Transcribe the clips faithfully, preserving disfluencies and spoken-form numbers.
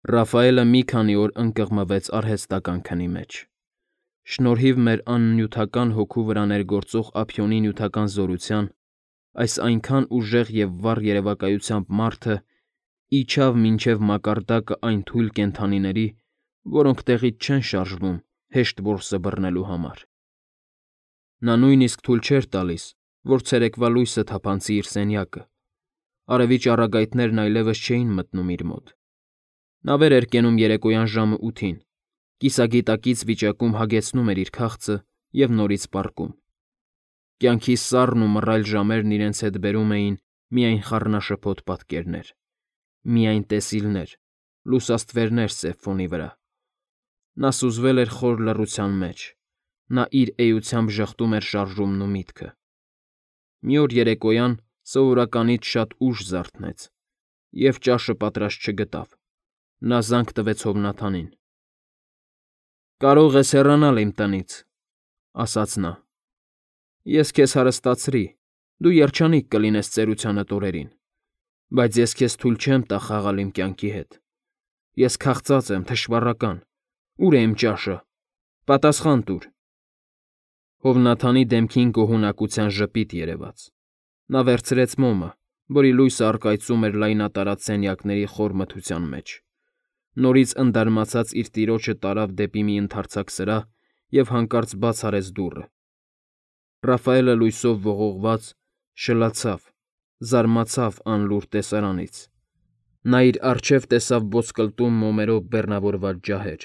Ռաֆայելը մի քանի օր ընկղմվեց արհեստական քնի մեջ։ Շնորհիվ մեր աննյութական հոգու վրա ներգործող ափիոնի նյութական զորության, այս այնքան ուժեղ և վառ երևակայությամբ մարդը իջավ մինչև մակարդակը այն թույլ կենդանիների, որոնք տեղից չեն շարժվում հեշտ որսը բռնելու համար։ Նա նույնիսկ թույլ չէր տալիս, որ ցերեկվա լույսը թափանցի իր սենյակը, արևի ճառագայթներն այլևս չէին մտնում իր մոտ։ Նա վեր էր կենում երեկոյան ժամը ութին, կիսագիտակից վիճակում հագեցնում էր իր քաղցը և նորից պառկում։ Կյանքի սառն ու մռայլ ժամերն իրենց հետ բերում էին միայն խառնաշփոթ պատկերներ, միայն տեսիլներ, լուսաստվերներ սև ֆոնի վրա։ Նա սուզվել էր խոր լռության մեջ, նա իր էությամբ ժխտում էր շարժումն ու միտքը։ Մի օր երեկոյան սովորականից շատ ուշ զարթնեց և ճաշը պատրաստ չգտավ։ Նա զանգ տվեց Հովնաթանին։ ֊ Կարող ես հեռանալ իմ տնից,֊ ասաց նա։ Ես քեզ հարստացրի, դու երջանիկ կլինես ծերությանդ օրերին, բայց ես քեզ թույլ չեմ տա խաղալ իմ կյանքի հետ։ Ես քաղցած եմ, թշվառական, ո՞ւր է իմ ճաշը, պատասխան տուր… Հովնաթանի դեմքին գոհունակության ժպիտ երևաց։ Նա վերցրեց մոմը, որի լույսը առկայծում էր լայնատարած սենյակների խոր մթության մեջ, նորից ընդարմացած իր տիրոջը տարավ դեպի մի ընդարձակ սրահ և հանկարծ բաց արեց դուռը։ Ռաֆայելը լույսով ողողված շլացավ, զարմացավ անլուռ տեսարանից։ Նա իր առջև տեսավ ոսկլտում մոմերով բեռնավորված ջահեր,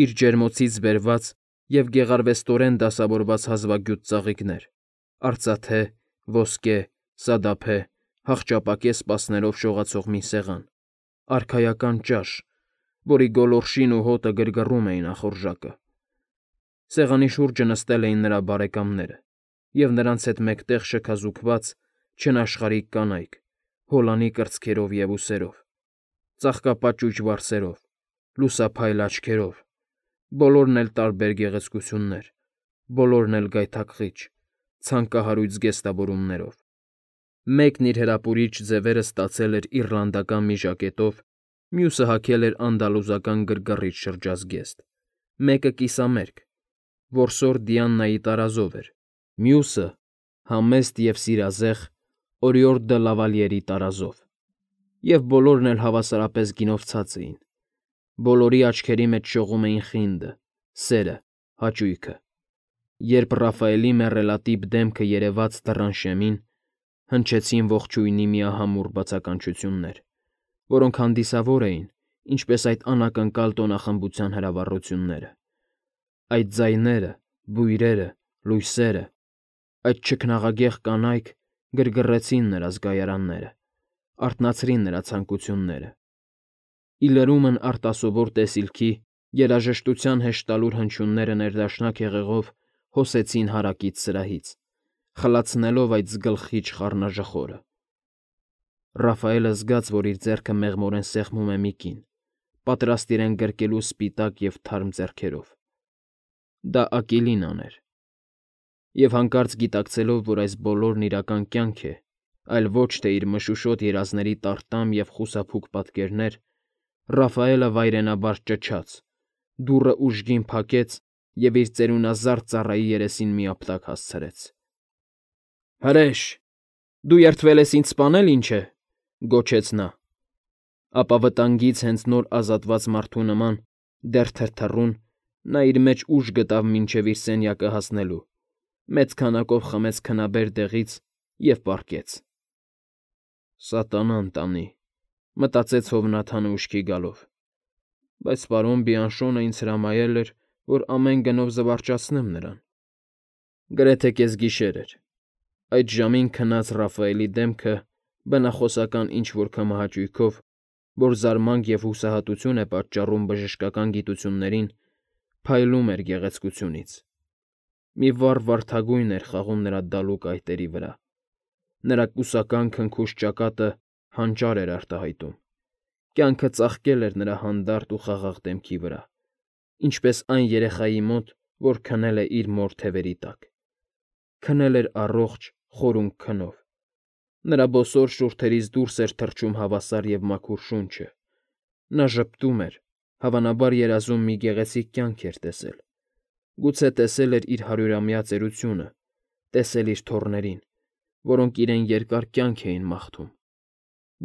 իր ջերմոցից բերված և գեղարվեստորեն դասավորված հազվագյուտ ծաղիկներ, արծաթե, ոսկե, սադափե, հախճապակե սպասներով շողացող մի սեղան, արքայական ճաշ, որի գոլորշին ու հոտը գրգռում էին ախորժակը։ Սեղանի շուրջը նստել էին նրա բարեկամները, և նրանց հետ մեկտեղ շքազուքված, չնաշխարհիկ կանայք, հոլանի կրծքերով և ուսերով, ծաղկապաճուճ վարսերով, լուսափայլ աչքերով, բոլորն էլ տարբեր գեղեցկություններ, բոլորն էլ գայթակղիչ, ցանկահարույց զգեստավորումներով։ Մեկն իր հրապուրիչ ձևերը ստացել էր իռլանդական մի ժակետով, մյուսը հագել էր անդալուզական գրգռիչ շրջազգեստ, մեկը կիսամերկ, որսոր Դիանայի տարազով էր, մյուսը՝ համեստ և սիրազեղ Օրիորդ դը Լավալյերի տարազով, և բոլորն էլ հավասարապես գինովցած էին, բոլորի աչքերի մեջ շողում էին խինդը, սերը, հաճույքը։ Երբ Ռաֆայելի մեռելատիպ դեմքը երևաց դռան շեմին, հնչեցին ողջույնի միահամուռ բացականչություններ, որոնք հանդիսավոր էին, ինչպես այդ անակնկալ տոնախմբության հրավառությունները։ Այդ ձայները, բույրերը, լույսերը, այդ չքնաղագեղ կանայք գրգռեցին նրա զգայարանները, արթնացրին նրա ցանկությունները։ Ի լրումն արտասովոր տեսիլքի, երաժշտության հեշտալուր հնչյունները ներդաշնակ հեղեղով հոսեցին հարակից սրահից, խլացնելով այդ զգլխիչ խառնաժխորը։ Ռաֆայելը զգաց, որ իր ձեռքը մեղմորեն սեղմում է մի կին, պատրաստ իրեն գրկելու սպիտակ և թարմ ձեռքերով։ Դա Ակիլինան էր։ Եվ հանկարծ գիտակցելով, որ այս բոլորն իրական կյանք է, այլ ոչ թե իր մշուշոտ երազների տարտամ և խուսափուկ պատկերներ, Ռաֆայելը վայրենաբար ճչաց, դուռը ուժգին փակեց և իր ծերունազարդ ծառայի երեսին մի ապտակ հասցրեց։ ֊ Հրե՛շ, դու երդվել ես ինձ սպանել, ինչ է,֊ գոչեց նա։ Ապա վտանգից հենց նոր ազատված մարդու նման, դեռ թրթռուն, նա իր մեջ ուժ գտավ մինչև իր սենյակը հասնելու, մեծ քանակով խմեց քնաբեր դեղից և պառկեց։ «Սատանան տանի,֊ մտածեց Հովնաթանը ուշքի գալով,֊ բայց պարոն Բիանշոնը ինձ հրամայել էր, որ ամեն գնով զվարճացնեմ նրան»։ Գրեթե կեսգիշեր էր։ Այդ ժամին քնած Ռաֆայելի դեմքը, բնախոսական ինչ֊որ քմահաճույքով, որ զարմանք և հուսահատություն է պատճառում բժշկական գիտություններին, փայլում էր գեղեցկությունից։ Մի վառ վարդագույն էր խաղում նրա դալուկ այտերի վրա, նրա կուսական քնքուշ ճակատը հանճար էր արտահայտում, կյանքը ծաղկել էր նրա հանդարտ ու խաղաղ դեմքի վրա, ինչպես այն երեխայի մոտ, որ քնել է իր մոր թևերի տակ, քնել էր առողջ, խորունկ քնով։ Նրա բոսոր շուրթերից դուրս էր թռչում հավասար և մաքուր շունչը, Նա ժպտում էր, հավանաբար երազում մի գեղեցիկ կյանք էր տեսել, գուցե տեսել էր իր հարյուրամյա ծերությունը, տեսել իր թոռներին, որոնք իրեն երկար կյանք էին մաղթում,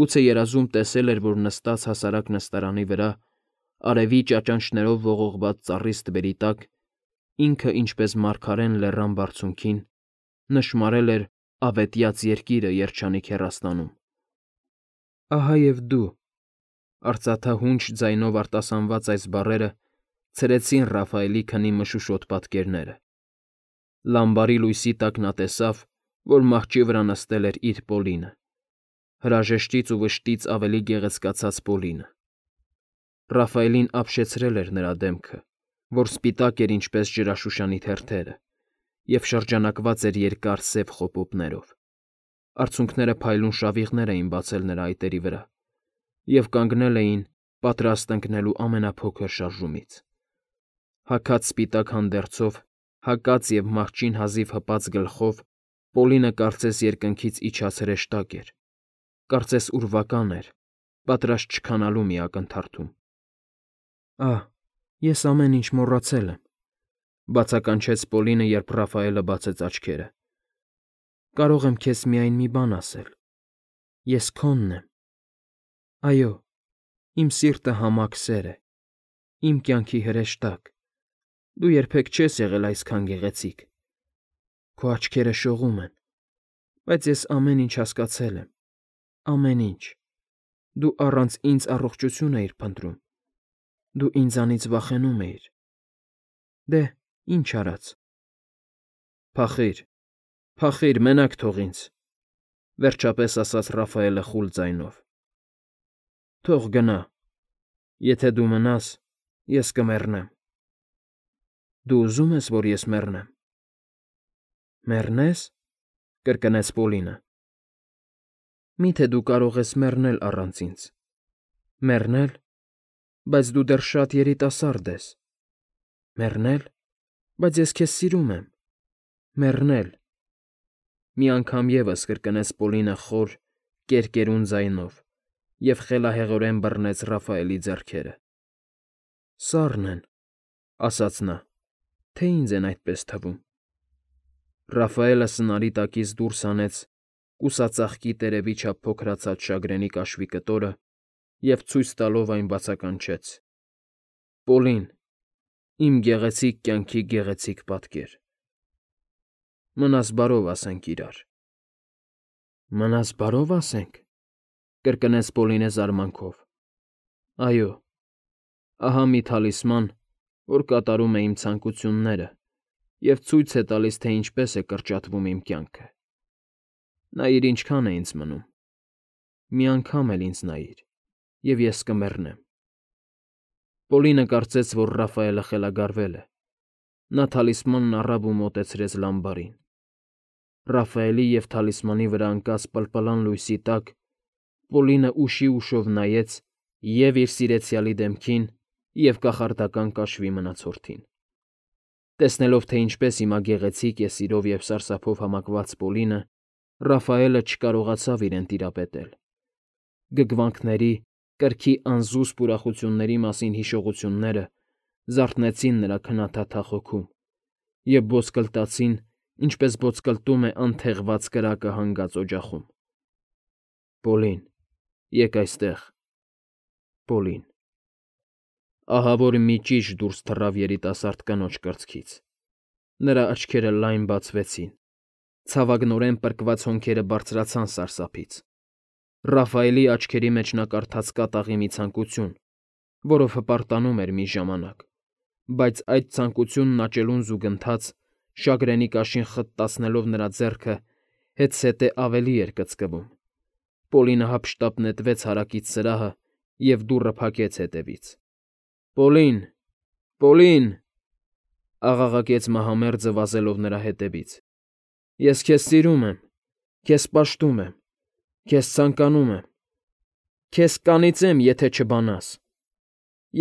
գուցե երազում տեսել էր, որ նստած հասարակ նստարանի վրա, արևի ճաճանճներով ողողված ծառի ստվերի տակ, ինքը ինչպես մարգարեն լեռան բարձունքին, նշմարել էր ավետյաց երկիրը երջանիկ հեռաստանում։ Ահա և դու, արծաթահունչ ձայնով արտասանված այս բառերը ցրեցին Ռաֆայելի քնի մշուշոտ պատկերները։ Լամբարի լույսի տակ նա տեսավ, որ մահճի վրա նստել էր իր Պոլինը, հրաժեշտից ու վշտից ավելի գեղեցկացած Պոլինը։ Ռաֆայելին ապշեցրել էր նրա դեմքը, որ սպիտակ էր ինչպես ջրաշուշանի թերթերը, և շրջանակված էր երկար սև խոպոպներով։ Արցունքները փայլուն շավիղներ էին բացել նրա այտերի վրա և կանգնել էին, պատրաստ ընկնելու ամենափոքր շարժումից։ Հագած սպիտակ հանդերձով, հակած և մահճին հազիվ հպած գլխով Պոլինը կարծես երկնքից իջած հրեշտակ էր, կարծես ուրվական էր, պատրաստ չքանալու մի ակնթարթում։ Ահ, ես ամեն ինչ մոռացել եմ,֊ բացականչեց Պոլինը, երբ Ռաֆայելը բացեց աչքերը։ Կարող եմ քեզ միայն մի բան ասել. ես քոնն եմ։ Այո, իմ սիրտը համակ սեր է, իմ կյանքի հրեշտակ, դու երբեք չես եղել այսքան գեղեցիկ։ Քո աչքերը շողում են, բայց ես ամեն ինչ հասկացել եմ, ամեն ինչ, դու առանց ինձ առողջություն էիր փնտրում, դու ինձանից վախենում էիր։ Դե, ինչ արած։ Փախիր, փախիր, մենակ թող ինձ,֊ վերջապես ասաց Ռաֆայելը խուլ ձայնով։ Թող գնա, եթե դու մնաս, ես կմեռնեմ։ Դու ուզում ես, որ ես մեռնեմ։ Մեռնե՞ս,֊ կրկնեց Պոլինը։ Մի՞թե դու կարող ես մեռնել առանց ինձ։ Մեռնել, բայց դու դեռ շատ երիտասարդ ես։ Մեռնել, բայց ես քեզ սիրում եմ։ Մեռնել,֊ մի անգամ ևս կրկնեց Պոլինը խոր, կերկերուն ձայնով և խելահեղորեն բռնեց Ռաֆայելի ձեռքերը։ Սառն են,֊ ասաց նա,֊ թե ինձ են այդպես թվում։ Ռաֆայելը սնարի տակից դուրս հանեց կուսածաղկի տերևի չափ փոքրացած շագրենի կաշվի կտորը և ցույց տալով այն բացականչեց. Պոլին, իմ գեղեցիկ կյանքի գեղեցիկ պատկեր։ Մնաս բարով, ասենք իրար։ Մնաս բարով, ասենք,֊ կրկնեց Պոլինը զարմանքով։ Այո, ահա մի թալիսման, որ կատարում է իմ ցանկությունները և ցույց է տալիս, թե ինչպես է կրճատվում իմ կյանքը։ Նայիր, ինչքան է ինձ մնում։ Մի անգամ էլ ինձ նայիր, և ես կմեռնեմ։ Պոլինը կարծեց, որ Ռաֆայելը խելագարվել է։ Նա թալիսմանն առավ ու մոտեցրեց լամբարին։ Ռաֆայելի և թալիսմանի վրա ընկած պլպլան լույսի տակ Պոլինը ուշի ուշով նայեց և՛ իր սիրեցյալի դեմքին, և՛ կախարդական կաշվի մնացորդին։ Տեսնելով, թե ինչպես հիմա գեղեցիկ է սիրով և սարսափով համակված Պոլինը, Ռաֆայելը չկարողացավ իրեն տիրապետել։ Գգվանքների, կրքի անզուսպ ուրախությունների մասին հիշողությունները զարթնեցին նրա քնաթաթախ հոգում և ոսկլտացին, ինչպես ոսկլտում է անթեղված կրակը հանգած օջախում։ Պոլին, եկ այստեղ, Պոլին… Ահավոր մի ճիչ դուրս թռավ երիտասարդ կնոջ կրծքից։ Նրա աչքերը լայն բացվեցին, ցավագնորեն պրկված հոնքերը բարձրացան սարսափից։ Ռաֆայելի աչքերի մեջ նա կարդաց կատաղի մի ցանկություն, որով հպարտանում էր մի ժամանակ, բայց այդ ցանկությունն աճելուն զուգընթաց, շագրենի կաշին խտտացնելով նրա ձեռքը, հետզհետե ավելի էր կծկվում։ Պոլինը հափշտապ նետվեց հարակից սրահը և դուռը փակեց հետևից։ Պոլին, Պոլին…֊ աղաղակեց մահամերձը վազելով նրա հետևից։ Ես քեզ սիրում եմ, քեզ պաշտում եմ, քեզ ցանկանում եմ, քեզ կանիծեմ, եթե չբանաս։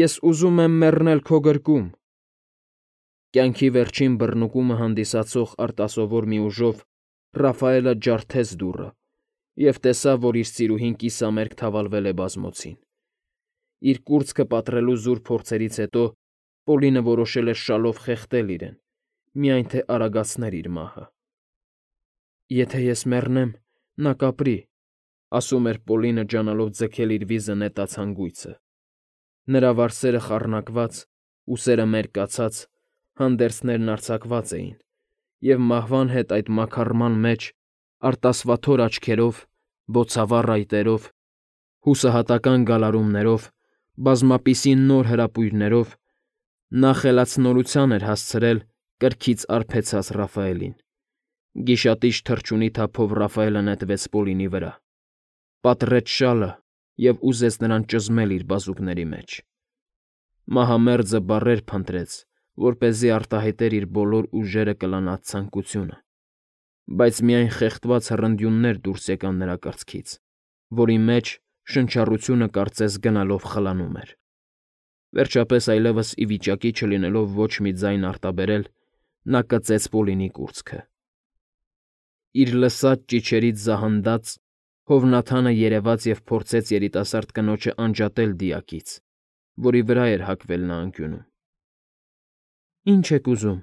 Ես ուզում եմ մեռնել քո գրկում… Կյանքի վերջին բռնկումը հանդիսացող արտասովոր մի ուժով Ռաֆայելը ջարդեց դուռը և տեսավ, որ իր սիրուհին կիսամերկ թավալվել է բազմոցին։ Իր կուրծքը պատռելու զուր փորձերից հետո Պոլինը որոշել էր շալով խեղդել իրեն, միայն թե արագացներ իր մահը։ «Եթե ես մեռնեմ, նա կապրի», ասում էր Պոլինը, ջանալով ձգել իր վիզը նետած հանգույցը։ Նրա վարսերը խառնակված, ուսերը մերկացած, հանդերձներն արձակված էին, և մահվան հետ այդ մաքարման մեջ, արտասվաթոր աչքերով, բոցավառ այտերով, հուսահատական գալարումներով, բազմապիսի նոր հրապույրներով նա խելացնորության էր հասցրել կրքից արբեցած Ռաֆայելին։ Գիշատիչ թռչունի թափով Ռաֆայելը նետվեց Պոլինի վրա, պատռեց շալը և ուզեց նրան ճզմել իր բազուկների մեջ։ Մահամերձը բառեր փնտրեց, որպեսզի արտահայտեր իր բոլոր ուժերը կլանած ցանկությունը, բայց միայն խեղդված հռնդյուններ դուրս եկան նրա կրծքից, որի մեջ շնչառությունը կարծես գնալով խլանում էր։ Վերջապես, այլևս ի վիճակի չլինելով ոչ մի ձայն արտաբերել, նա կծեց Պոլինի կուրծքը։ Իր լսած ճիչերից զահնդած՝ Հովնաթանը երևաց և փորձեց երիտասարդ կնոջը անջատել դիակից, որի վրա էր հագվել նա անկյունում։ «Ինչ եք ուզում,֊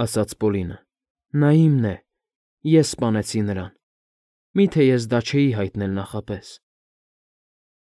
ասաց Պոլինը,֊ նա իմն է, ես սպանեցի նրան, մի՞թե ես դա չէի հայտնել նախապես»։